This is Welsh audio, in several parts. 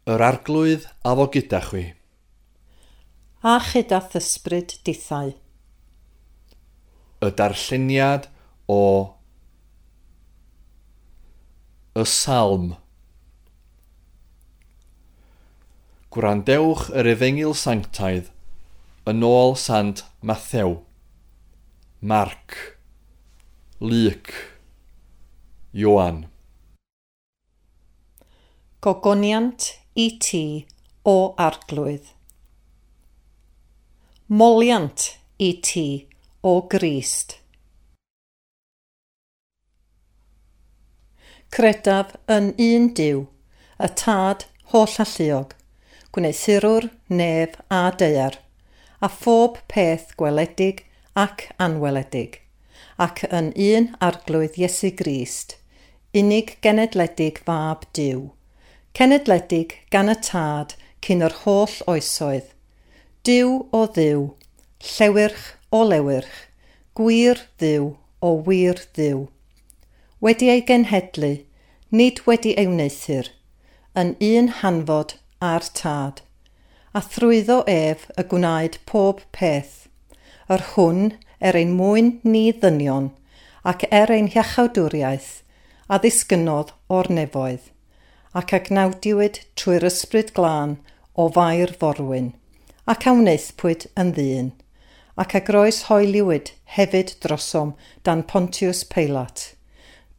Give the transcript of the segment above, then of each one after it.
Yr Arglwydd a fo gyda chwi. A chyda thysbryd dithau. Y darlleniad o y Salm. Gwrandewch yr Efengyl Sanctaidd yn ôl Sant Mathew, Marc, Luc, Ioan. Gogoniant i ti, o Arglwydd. Moliant i ti, o Grist. Credaf yn un Duw, y Tad hollalluog, gwneuthurwr nef a daear, a phob peth gweledig ac anweledig, ac yn un Arglwydd Iesu Grist, unig genedledig fab Duw, cenedledig gan y Tad cyn yr holl oesoedd, Duw o Dduw, llewyrch o lewyrch, gwir Dduw o wir Dduw. Wedi ei genhedlu, nid wedi ei wneuthur, yn un hanfod a'r Tad, a thrwyddo ef y gwnaed pob peth, yr hwn er ein mwyn ni ddynion, ac er ein hiachawdwriaeth, a ddisgynnodd o'r nefoedd, ac a gnawdiwyd trwy'r ysbryd glân o Fair Forwyn, ac a wnaethpwyd yn ddyn, ac a groeshoeliwyd hefyd drosom dan Pontius Pilate.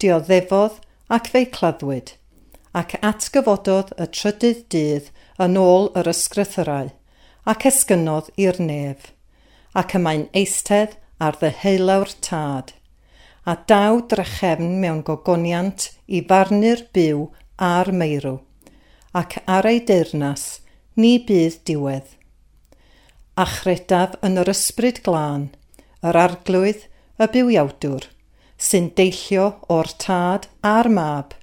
Dioddefodd ac fe'i claddwyd, ac atgyfododd y trydydd dydd yn ôl yr ysgrythyrau, ac esgynnodd i'r nef, ac y mae'n eistedd ar ddeheulaw'r Tad, a daw drachefn mewn gogoniant i farnu'r byw a'r meirw, ac ar ei deyrnas ni bydd diwedd. A chredaf yn yr ysbryd glân, yr Arglwydd, y bywiawdwr, sy'n deillio o'r Tad a'r Mab,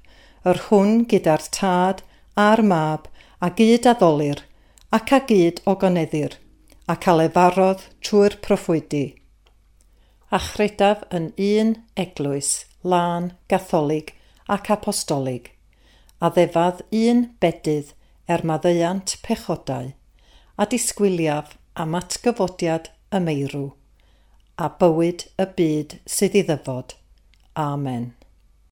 yr hwn gyda'r Tad a'r Mab a gyd addolir ac a gyd ogoneddir, ac a lefarodd trwy'r proffwydi. A chredaf yn un eglwys, lân, gatholig ac apostolig, a ddefad un bedydd er maddeuant pechodau, a disgwyliaf am atgyfodiad y meirw, a bywyd y byd sydd i ddyfod. Amen.